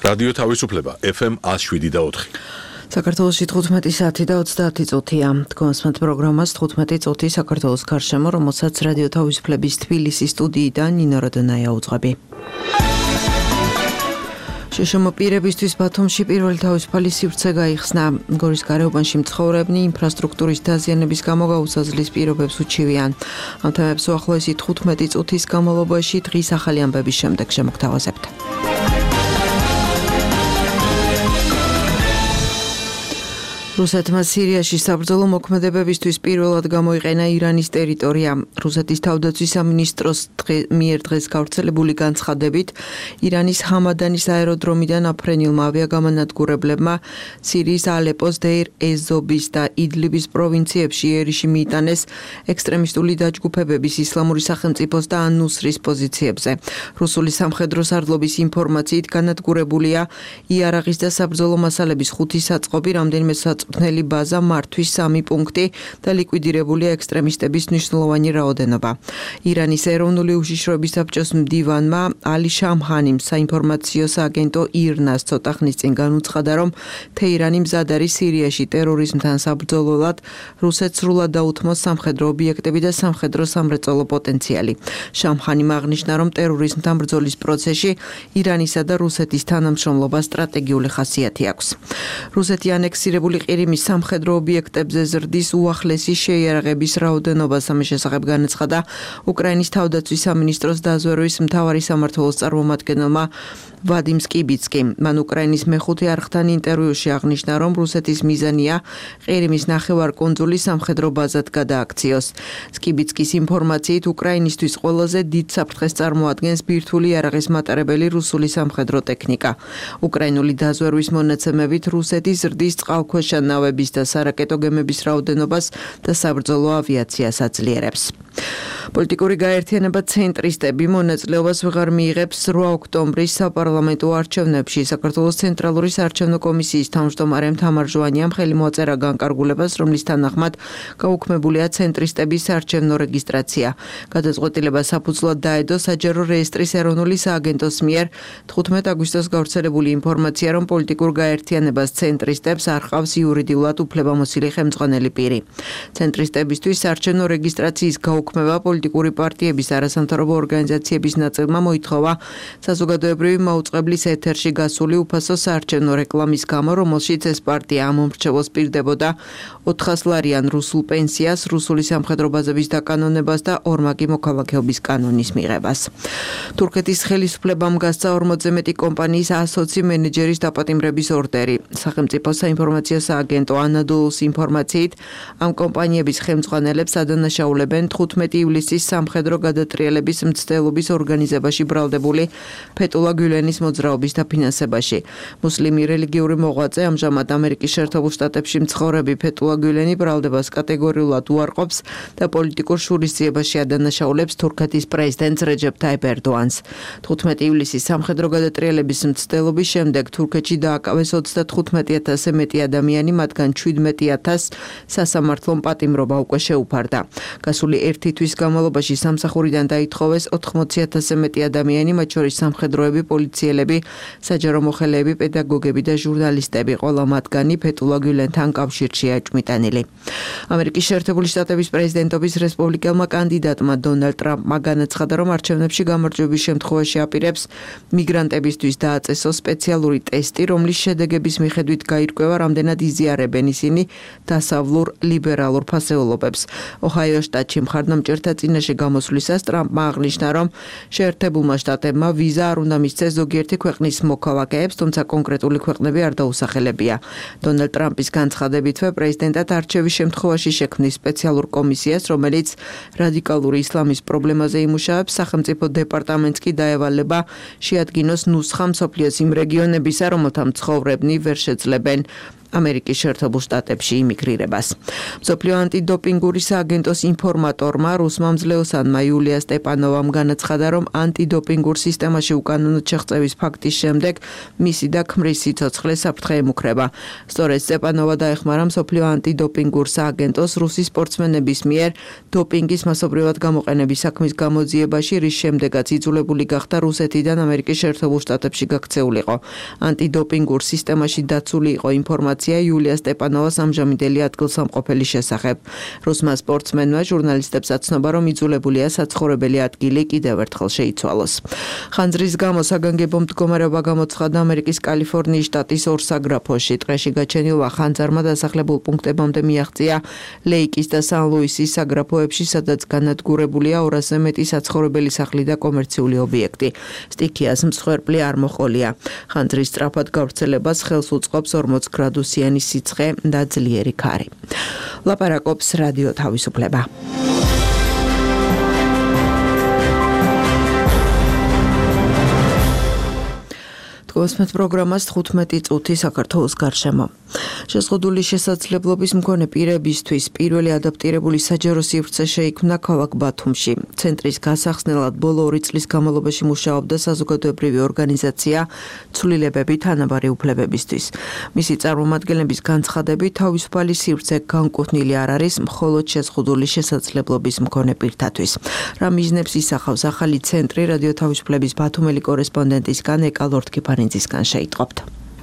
რადიო თავისუფლება FM 107.4. საქართველოში 15 საათი და 30 წუთია. თქვენსმენთ პროგრამას 15 წუთი საქართველოს გარშემო, რომელსაც რადიო თავისუფლების თბილისის სტუდიიდან ნინო როდონაია უძღვები. შშმ პირებისთვის ბათუმში პირველი თავისუფალი სივრცე გაიხსნა. გორის გარეუბანში მცხოვრებნი ინფრასტრუქტურის დაზიანების გამო გაუსაზლის პირობებს უჩივიან. ამ თემებს უახლოესი 15 წუთის განმავლობაში დღის ახალი ამბების შემდეგ შემოგთავაზებთ. რუსეთმა სირიაში საბრძოლო მოქმედებებისთვის პირველად გამოიყენა ირანის ტერიტორია. რუსეთის თავდაცვის სამინისტროს მიერ დღეს გავრცელებული განცხადებით, ირანის ჰამადანის აეროდრომიდან აფრენილმა ავიაგამანადგურებლებმა სირიის ალეპოს, დეირ ეს-ზორის და იდლიბის პროვინციებში იერიში მიიტანეს ექსტრემისტული დაჯგუფებების ისლამური სახელმწიფოს და ან-ნუსრის პოზიციებზე. რუსული სამხედრო სარდლობის ინფორმაციით განადგურებულია იარაღის და საბრძოლო მასალების 5 საწყობი, რამდენიმე წვნელი ბაზა, მართვის 3 პუნქტი და ლიკვიდირებულია ექსტრემისტების მნიშვნელოვანი რაოდენობა. ირანის ეროვნული უშიშროების საბჭოს მდივანმა ალი შამხანიმ საინფორმაციო სააგენტო ირნას ცოტა ხნის წინ განუცხადა, რომ თეირანი მზად არის სირიაში ტერორიზმთან საბრძოლველად, რუსეთს სრულად დაუთმოს სამხედრო ობიექტები და სამხედრო სამრეწველო პოტენციალი. შამხანიმ აღნიშნა, რომ ტერორიზმთან ბრძოლის პროცესში ირანისა და რუსეთის თანამშრომლობა სტრატეგიული ხასიათი აქვს. რუსეთი ანექსირებული ყირიმის სამხედრო ობიექტებზე ზრდის უახლესი შეიარაღების რაოდენობას. ამის შესახებ განაცხადა უკრაინის თავდაცვის სამინისტროს დაზვერვის მთავარი სამმართველოს წარმომადგენელმა ვადიმ სკიბიცკიმ. მან უკრაინის მეხუთე არხთან ინტერვიუში აღნიშნა, რომ რუსეთის მიზანია ყირიმის ნახევარკუნძული სამხედრო ბაზად გადააქციოს. სკიბიცკის ინფორმაციით, უკრაინისთვის ყველაზე დიდ საფრთხეს წარმოადგენს ბირთვული იარაღის მატარებელი რუსული სამხედრო ტექნიკა. უკრაინული დაზვერვის მონაცემებით, რუსეთი ზრდის წყალქვეშა ნავების და სარაკეტო გემების რაოდენობას და საბრძოლო ავიაციას აძლიერებს. პოლიტიკური გაერთიანება ცენტრისტები მონაწილეობას ვეღარ მიიღებს 8 ოქტომბრის საპარლამენტო არჩევნებში. საქართველოს ცენტრალური საარჩევნო კომისიის თავმჯდომარემ თამარ ჟვანიამ ხელი მოაწერა განკარგულებას, რომლის თანახმად გაუქმებულია ცენტრისტების საარჩევნო რეგისტრაცია. გადაწყვეტილება საფუძვლად დაედო საჯარო რეესტრის ეროვნული სააგენტოს მიერ 15 აგვისტოს გავრცელებული ინფორმაცია, რომ პოლიტიკურ გაერთიანებას ცენტრისტებს არ ყავს იურიდიულად უფლებამოსილი ხელმძღვანელი პირი. ცენტრისტებისთვის საარჩევნო რეგისტრაციის გაუქმება პოლიტიკური პარტიების არასამთავრობო ორგანიზაციების ნაწილმა მოითხოვა საზოგადოებრივი მაუწყებლის ეთერში გასული უფასო საარჩევნო რეკლამის გამო, რომელშიც ეს პარტია ამომრჩევოს პირდებოდა 400 ლარიან რუსულ პენსიას, რუსული სამხედრო ბაზების დაკანონებას და ორმაგი მოქალაქეობის კანონის მიღებას. თურქეთის ხელისუფლებამ გასცა 40-ზე მეტი კომპანიის 120 მენეჯერის დაპატიმრების ორდერი. სახელმწიფო საინფორმაციო სააგენტო ანადოლუს ინფორმაციით, ამ კომპანიების ხელმძღვანელებს ადანაშაულებენ 15 ივლისის სამხედრო გადატრიალების მცდელობის ორგანიზებაში ბრალდებული ფეტულა გულენის მოძრაობის დაფინანსებაში. მუსლიმი რელიგიური მოღვაწე, ამჟამად ამერიკის შეერთებულ შტატებში მცხოვრები ფეტულა გულენი ბრალდებას კატეგორიულად უარყოფს და პოლიტიკურ შურისძიებაში ადანაშაულებს თურქეთის პრეზიდენტს რეჯეფ ტაიპ ერდოანს. 15 ივლისის სამხედრო გადატრიალების მცდელობის შემდეგ თურქეთში დააკავეს 35,000-ზე მეტი ადამიანი, მათგან 17,000 სასამართლომ პატიმრობა უკვე შეუფარდა. გასული 1 თვის განმავლობაში სამსახურიდან დაითხოვეს 80,000-ზე მეტი ადამიანი, მათ შორის სამხედროები, პოლიციელები, საჯარო მოხელეები, პედაგოგები და ჟურნალისტები. ყველა მათგანი ფეტულა გულენთან კავშირშია ეჭვმიტანილი. ამერიკის შეერთებული შტატების პრეზიდენტობის რესპუბლიკელმა კანდიდატმა დონალდ ტრამპმა განაცხადა, რომ არჩევნებში გამარჯვების შემთხვევაში აპირებს მიგრანტებისთვის დააწესოს სპეციალური ტესტი, რომლის შედეგების მიხედვით გაირკვევა, რამდენად იზიარებენ ისინი დასავლურ ლიბერალურ ფასეულობებს. ოჰაიოს შტატში მხარდამჭერთა წინაშე გამოსვლისას ტრამპმა აღნიშნა, რომ შეერთებულმა შტატებმა ვიზა არ უნდა მისცეს ზოგიერთი ქვეყნის მოქალაქეებს, თუმცა კონკრეტული ქვეყნები არ დაუსახელებია. დონალდ ტრამპის განცხადებითვე პრეზიდენტად არჩევის შემთხვევაში შექმნის სპეციალურ კომისიას, რომელიც რადიკალური ისლამის პრობლემაზე იმუშავებს. სახელმწიფო დეპარტამენტს კი დაევალება შეადგინოს ნუსხა მსოფლიოს იმ რეგიონებისა, რომელთა მცხოვრებნი ვერ შეძლებენ ამერიკის შეერთებულ შტატებში იმიგრირებას. მსოფლიო ანტიდოპინგური სააგენტოს ინფორმატორმა რუსმა მძლეოსანმა იულია სტეპანოვამ განაცხადა, რომ ანტიდოპინგურ სისტემაში უკანონოდ შეღწევის ფაქტის შემდეგ მისი და ქმრის სიცოცხლე საფრთხე ემუქრება. სწორედ სტეპანოვა დაეხმარა მსოფლიო ანტიდოპინგურ სააგენტოს რუსი სპორტსმენების მიერ დოპინგის მასობრივად გამოყენების საქმის გამოძიებაში, რის შემდეგაც იძულებული გახდა რუსეთიდან ამერიკის შეერთებულ შტატებში გაქცეულიყო. ანტიდოპინგურ სისტემაში დაცული იყო ინფორმაცია იულია სტეპანოვას ამჟამინდელი ადგილსამყოფელის შესახებ. რუსმა სპორტსმენმა ჟურნალისტებს აცნობა, რომ იძულებულია საცხოვრებელი ადგილი კიდევ ერთხელ შეიცვალოს. ხანძრის გამო საგანგებო მდგომარეობა გამოცხადდა ამერიკის კალიფორნიის შტატის ორ საგრაფოში. ტყეში გაჩენილმა ხანძარმა დასახლებულ პუნქტებამდე მიაღწია ლეიკის და სან-ლუისის საგრაფოებში, სადაც განადგურებულია 200-ზე მეტი საცხოვრებელი სახლი და კომერციული ობიექტი. სტიქიას მსხვერპლი არ მოყოლია. ხანძრის სწრაფად გავრცელებას ხელს უწყობს 40 გრადუსიანი სიცხე და ძლიერი ქარი. ლაპარაკობს რადიო თავისუფლება. გოსმეთ პროგრამას 15 წუთი საქართველოს გარშემო. შეზღუდული შესაძლებლობის მქონე პირებისთვის პირველი ადაპტირებული საჯარო სივრცე შეიქმნა ქალაქ ბათუმში. ცენტრის გასახსნელად ბოლო 2 წლის განმავლობაში მუშაობდა საზოგადოებრივი ორგანიზაცია ცვლილებები თანაბარი უფლებებისთვის. მისი წარმომადგენლების განცხადებით, თავისუფალი სივრცე განკუთვნილი არ არის მხოლოდ შეზღუდული შესაძლებლობის მქონე პირთათვის. რა მიზნებს ისახავს ახალი ცენტრი, რადიო თავისუფლების ბათუმელი კორესპონდენტისგან ეკა ლორთქიფანიძისგან შეიტყობთ.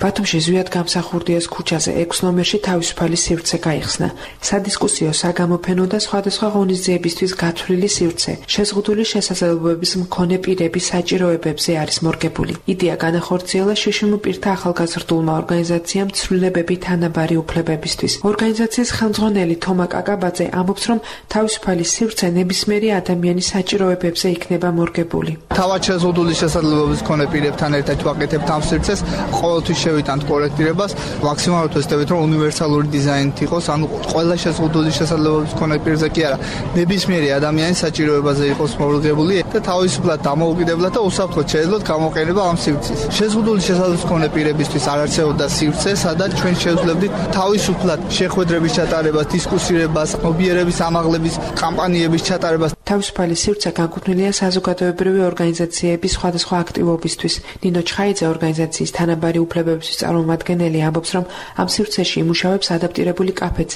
ბათუმში ზვიად გამსახურდიას ქუჩაზე 6 ნომერში თავისუფალი სივრცე გაიხსნა. სადისკუსიო, საგამოფენო და სხვადასხვა ღონისძიებისთვის გათვლილი სივრცე შეზღუდული შესაძლებლობების მქონე პირების საჭიროებებზე არის მორგებული. იდეა განახორციელა შშმ პირთა ახალგაზრდულმა ორგანიზაციამ ცვლილებები თანაბარი უფლებებისთვის. ორგანიზაციის ხელმძღვანელი თომა კაკაბაძე ამბობს, რომ თავისუფალი სივრცე ნებისმიერი ადამიანის საჭიროებებზე იქნება მორგებული. თავად შეზღუდული შესაძლებლობის მქონე პირებთან ერთად ვაკეთებთ ამ სივრცეს, ყოველთვის შევიტანთ კორექტირებას, მაქსიმალურად ვეცდებით, რომ უნივერსალური დიზაინით იყოს, ანუ ყველა შეზღუდული შესაძლებლობის მქონე პირზე კი არა, ნებისმიერი ადამიანის საჭიროებაზე იყოს მორგებული და თავისუფლად დამოუკიდებლად და უსაფრთხოდ შეეძლოთ გამოყენება ამ სივრცის. შეზღუდული შესაძლებლობის მქონე პირებისთვის არ არსებობდა სივრცე, სადაც ჩვენ შევძლებდით თავისუფლად შეხვედრების ჩატარებას, დისკუსირებას, მობიერების ამაღლების კამპანიების ჩატარებას. თავისუფალი სივრცე განკუთვნილია საზოგადოებრივი ორგანიზაციების სხვადასხვა აქტივობისთვის. ნინო ჩხაიძე ორგანიზაციის თანაბარი უფლებების წარმომადგენელი ამბობს, რომ ამ სივრცეში იმუშავებს ადაპტირებული კაფეც,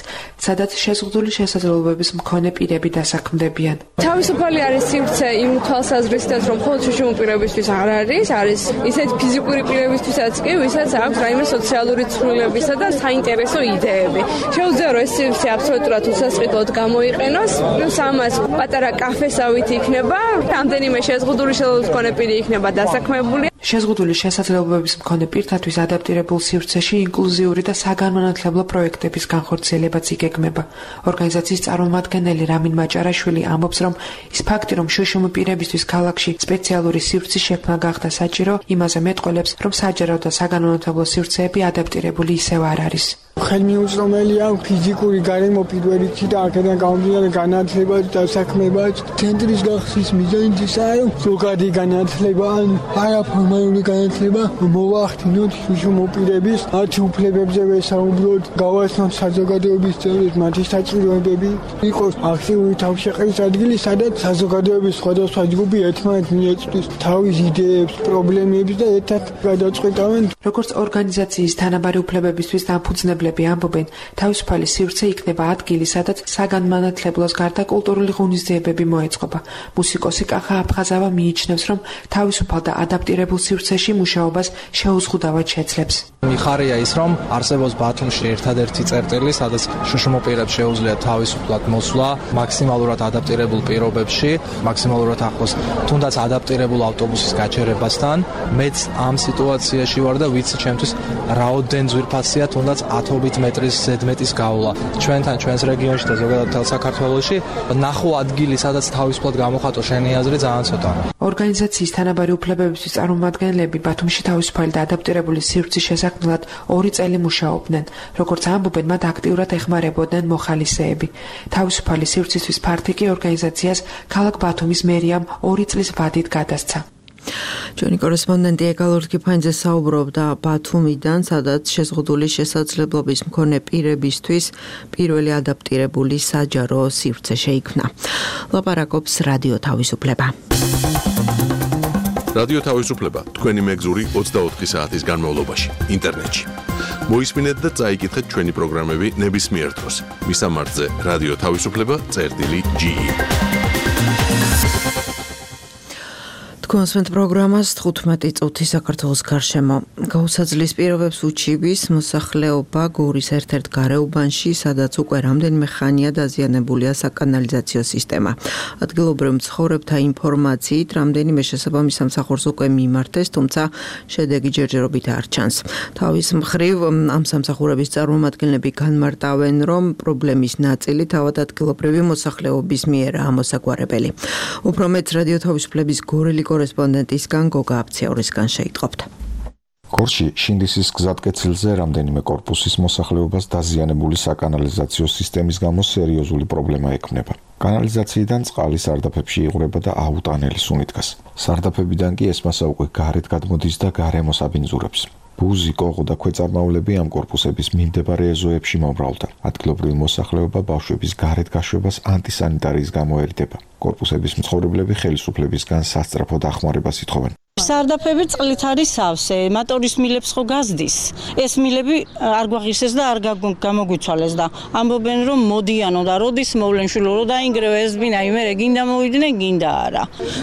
სადაც შეზღუდული შესაძლებლობების მქონე პირები დასაქმდებიან. თავისუფალი არის სივრცე იმ თვალსაზრისით, რომ მხოლოდ შშმ პირებისთვის არ არის, არის ისეთ ფიზიკური პირებისთვისაც კი, ვისაც აქვს რაიმე სოციალური ცვლილებისა და საინტერესო იდეები. შეუძლია, რომ ეს სივრცე აბსოლუტურად უსასყიდლოდ გამოიყენოს, პლუს ამას პატარა კაფესავით იქნება, რამდენიმე შეზღუდული შესაძლებლობის მქონე პირი იქნება დასაქმებული. შეზღუდული შესაძლებლობების მქონე პირთათვის ადაპტირებულ სივრცეში ინკლუზიური და საგანმანათლებლო პროექტების განხორციელებაც იგეგმება. ორგანიზაციის წარმომადგენელი რამინ მაჭარაშვილი ამბობს, რომ ის ფაქტი, რომ შშმ პირებისთვის ქალაქში სპეციალური სივრცის შექმნა გახდა საჭირო, იმაზე მეტყველებს, რომ საჯარო და საგანმანათლებლო სივრცეები ადაპტირებული ისევ არ არის. ხელმიუწვდომელია ფიზიკური გარემო პირველ რიგში და აქედან გამომდინარე განათლება და საქმეება. ცენტრის გახსნის მიზანიც ისაა, რომ ზოგადი განათლება ან არაფორმალური განათლება მოვახდინოთ შშმ პირების მათი უფლებებზე ვესაუბროთ, გავაცნოთ საზოგადოების წევრებს მათი საჭიროებები, იყოს აქტიური თავშეყრის ადგილი, სადაც საზოგადოების სხვადასხვა ჯგუფი ერთმანეთს მიეწვდის თავის იდეებს, პრობლემებს და ერთად გადაწყვეტავენ. როგორც ორგანიზაციის თანაბარი უფლებებისთვის დამფუძნებლები ამბობენ, თავისუფალი სივრცე იქნება ადგილი, სადაც საგანმანათლებლოს გარდა კულტურული ღონისძიებები მოეწყობა. მუსიკოსი კახა აფხაზავა მიიჩნევს, რომ თავისუფალ და ადაპტირებულ სივრცეში მუშაობას შეუზღუდავად შეძლებს. მიხარია ის, რომ არსებობს ბათუმში ერთადერთი წერტილი, სადაც შშმ პირებს შეუძლიათ თავისუფლად მოსვლა, მაქსიმალურად ადაპტირებულ პირობებში, მაქსიმალურად ახლოს თუნდაც ადაპტირებულ ავტობუსის გაჩერებასთან. მეც ამ სიტუაციაში ვარ და ვიცი ჩემთვის რაოდენ ძვირფასია თუნდაც 10 მეტრის ზედმეტის გავლა. ჩვენთან, ჩვენს რეგიონში და ზოგადად მთელ საქართველოში ნახო ადგილი, სადაც თავისუფლად გამოხატო შენი აზრი ძალიან ცოტაა. ორგანიზაციის თანაბარი უფლებებისთვის წარმომადგენლები ბათუმში თავისუფალი და ადაპტირებული სივრცის შესაქმნელად 2 წელი მუშაობდნენ. როგორც ამბობენ, მათ აქტიურად ეხმარებოდნენ მოხალისეები. თავისუფალი სივრცისთვის ფართი კი ორგანიზაციას ქალაქ ბათუმის მერიამ 2 წლის ვადით გადასცა. ჩვენი კორესპონდენტი ეკალორ კიფაინძე საუბრობდა ბათუმიდან, სადაც შეზღუდული შესაძლებლობის მქონე პირებისთვის პირველი ადაპტირებული საჯარო სივრცე შეიქმნა. ლაპარაკობს რადიო თავისუფლება. რადიო თავისუფლება თქვენი მეგზური 24 საათის განმავლობაში ინტერნეტში. მოისმინეთ და წაიკითხეთ ჩვენი პროგრამები ნებისმიერ დროს. მისამართზე რადიო თავისუფლება.ge კონსვენთ პროგრამას 15 წუთი საქართველოს გარშემო. გაუსაძლის პირობებს უჩიბის მოსახლეობა გორის ერთ-ერთ გარეუბანში, სადაც უკვე რამდენიმე ხანია დაზიანებულია საკანალიზაციო სისტემა. ადგილობრივ მცხოვრებთა ინფორმაციით, რამდენიმე შესაბამის სამსახურს უკვე მიმართეს, თუმცა შედეგი ჯერჯერობით არ ჩანს. თავის მხრივ ამ სამსახურების წარმომადგენლები განმარტავენ, რომ პრობლემის ნაწილი თავად ადგილობრივი მოსახლეობის მიერაა მოსაგვარებელი. უფრო მეტ რადიო თავისუფლების გორელი კორესპონდენტისგან გოგა აფციაურისგან შეიტყობთ. გორში შინდისის გზატკეცილზე რამდენიმე კორპუსის მოსახლეობას დაზიანებული საკანალიზაციო სისტემის გამო სერიოზული პრობლემა ექმნება. კანალიზაციიდან წყალი სარდაფებში იღვრება და აუტანელი სუნი დგას. სარდაფებიდან კი ესმასა უკვე გარეთ გადმოდის და გარემოს აბინძურებს. ბუზი, კოღო და ქვეწარმავლები ამ კორპუსების მიმდებარე ეზოებში მომრავლდა. ადგილობრივი მოსახლეობა ბავშვების გარეთ გაშვებას ანტისანიტარიის გამო ერიდება. კორპუსების მცხოვრებლები ხელისუფლებისგან სასწრაფო დახმარებას ითხოვენ. სარდაფები წყლით არის სავსე, მოტორის მილებს ხო გაზდის. ეს მილები არ გვაღირსეს და არ გამოგვიცვალეს და ამბობენ რომ მოდიანო და როდის მოვლენ შვილო რო დაინგრევა ეს ბინა იმერე გინდა მოვიდნენ, გინდა არა.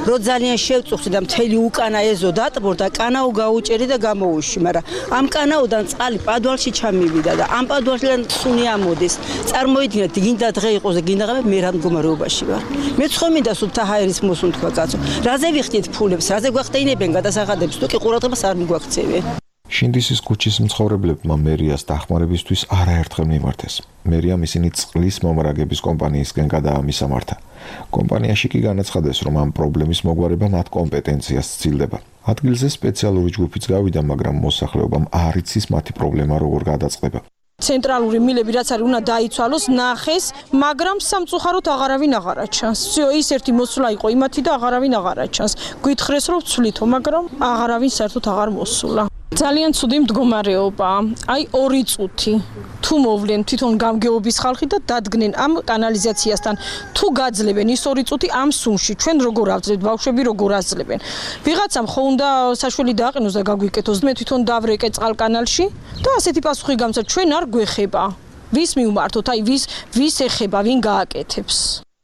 რო ძალიან შევწუხდი და მთელი უკანა ეზო დატბორდა, კანაო გაუჭერი და გამოუში, მაგრამ ამ კანაოდან წყალი პადვალში ჩამივიდა და ამ პადვალიდან სუნი ამოდის. წარმოიდგინეთ, გინდა დღე იყოს და გინდა ღამე მე რა მდგომარეობაში ვარ. მე ცხომინდა სულთა ჰაერის მოსუნთქვა კაცო. რაზე ვიხდით ფულებს, რაზე გვახტეინებენ გადასახადებს თუ კი ყურადღებას არ მიგვაქცევენ. შინდისის ქუჩის მცხოვრებლებმა მერიას დახმარებისთვის არაერთხელ მიმართეს. მერიამ ისინი წყლის მომრაგების კომპანიისგან გადაამისამართა. კომპანიაში კი განაცხადეს, რომ ამ პრობლემის მოგვარება მათ კომპეტენციას სცილდება. ადგილზე სპეციალური ჯგუფიც გავიდა, მაგრამ მოსახლეობამ არ იცის მათი პრობლემა როგორ გადაწყდება. ცენტრალური მილები რაც არის უნდა დაიცვალოს, ნახეს, მაგრამ სამწუხაროდ აღარავინ აღარაჩანს. всё, ის ერთი მოსვლა იყო იმათი და აღარავინ აღარაჩანს. გვითხრეს რომ ვცვლითო, მაგრამ აღარავინ საერთოდ აღარ მოსულა. ძალიან ცუდი მდგომარეობაა. აი 2 წუთი თუ მოვლენ თვითონ გამგეობის ხალხი და დადგნენ ამ კანალიზაციასთან. თუ გაძლებენ ის 2 წუთი ამ სუმში, ჩვენ როგორ ავძლებთ, ბავშვები როგორ აძლებენ. ვიღაცამ ხო უნდა საშველი დააყენოს და გაგვიკეთოს. მე თვითონ დავრეკე წყალკანალში და ასეთი პასუხი გამცა, ჩვენ არ გვეხება. ვის მივმართოთ, აი ვის ეხება, ვინ გააკეთებს.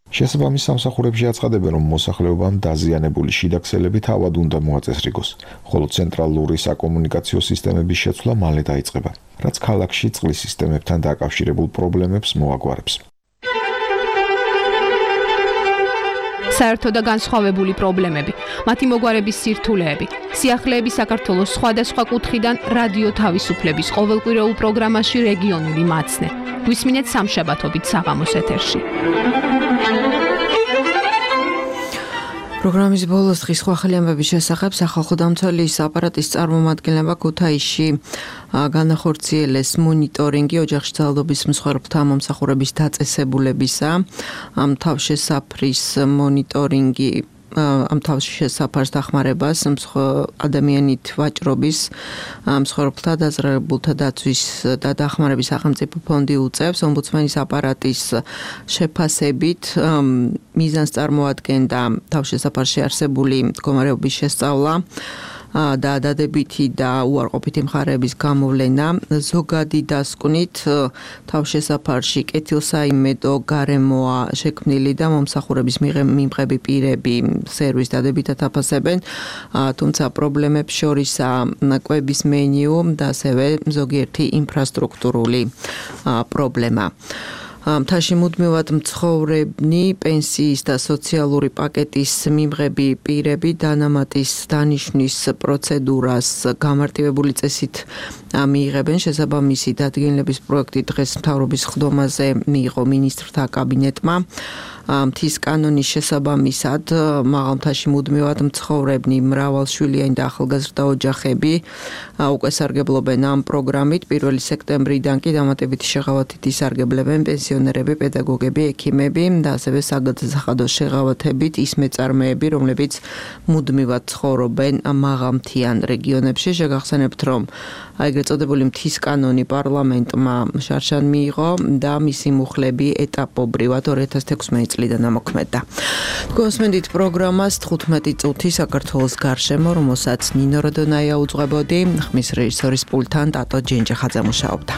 შესაბამის სამსახურებში აცხადებენ, რომ მოსახლეობამ დაზიანებული შიდაქსელები თავად უნდა მოაწესრიგოს, ხოლო ცენტრალური საკომუნიკაციო სისტემების შეცვლა მალე დაიწყება, რაც ქალაქში წყლის სისტემებთან დაკავშირებულ პრობლემებს მოაგვარებს. საერთო და განსხვავებული პრობლემები, მათი მოგვარების სირთულეები, სიახლეები საქართველოს სხვადასხვა კუთხიდან რადიო თავისუფლების ყოველკვირეულ პროგრამაში რეგიონული მაცნე. გვისმინეთ სამშაბათობით საღამოს ეთერში. პროგრამის ბოლოს დღის სხვა ხელიანების შესახებ სახალხო დამცველის აპარატის წარმომადგენლება ქუთაისში განახორციელეს მონიტორინგი ოჯახში ძალადობის მსხვერპლთა მომსახურების დაწესებულებისა. ამ თავშესაფრის მონიტორინგი ამ თავშესაფარს დახმარებას ადამიანით ვაჭრობის მსხვერპლთა დაზრალებულთა დაცვის და დახმარების სახელმწიფო ფონდი უწევს. ომბუდსმენის აპარატის შეფასებით მიზანს წარმოადგენდა თავშესაფარში არსებული მდგომარეობის შესწავლა და დადებითი და უარყოფითი მხარეების გამოვლენა. ზოგადი დასკვნით თავშესაფარში კეთილსაიმედო გარემოა შექმნილი და მომსახურების მიმღები პირები სერვის დადებითად აფასებენ, თუმცა პრობლემებს შორისაა კვების მენიუ და ასევე ზოგიერთი ინფრასტრუქტურული პრობლემა. მთაში მუდმივად მცხოვრებნი, პენსიის და სოციალური პაკეტის მიმღები პირები დანამატის დანიშვნის პროცედურას გამარტივებული წესით მიიღებენ. შესაბამისი დადგენილების პროექტი დღეს მთავრობის ხდომაზე მიიღო მინისტრთა კაბინეტმა. მთის კანონის შესაბამისად მაღალმთაში მუდმივად მცხოვრებნი მრავალშვილიანი და ახალგაზრდა ოჯახები უკვე სარგებლობენ ამ პროგრამით. 1 სექტემბრიდან კი დამატებითი შეღავათით ისარგებლებენ პენსიონერები, პედაგოგები, ექიმები და ასევე საგადასახადო შეღავათებით ის მეწარმეები, რომლებიც მუდმივად ცხოვრობენ მაღალმთიან რეგიონებში. შეგახსენებთ, რომ ეგრეთ წოდებული მთის კანონი პარლამენტმა შარშან მიიღო და მისი მუხლები ეტაპობრივად 2016 წლიდან ამოქმედდა. გვესმენდით პროგრამას 15 წუთი საქართველოს გარშემო, რომელსაც ნინო როდონაია უძღვებოდი, ხმის რეჟისორის პულტთან ტატო ჯენჯახაძე მუშაობდა.